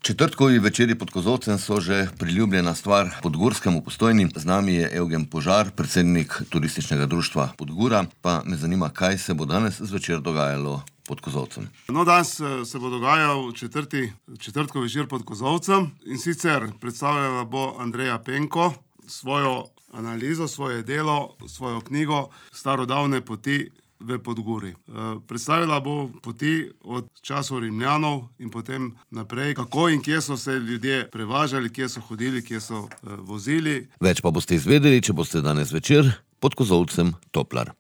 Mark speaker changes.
Speaker 1: Četrtkovi večeri pod kozolcem so že priljubljena stvar podgorskemu Postojni. Z nami je Evgen Požar, predsednik turističnega društva Podgora. Pa me zanima, kaj se bo danes zvečer dogajalo pod kozolcem.
Speaker 2: Danes se bo dogajal četrtkov večer pod kozolcem, in sicer predstavljala bo Andreja Penko svojo analizo, svoje delo, svojo knjigo Starodavne poti v Podgori. Predstavila bo poti od časov Rimljanov in potem naprej, kako in kje so se ljudje prevažali, kje so hodili, kje so vozili.
Speaker 1: Več pa boste izvedeli, če boste danes večer pod kozolcem Toplar.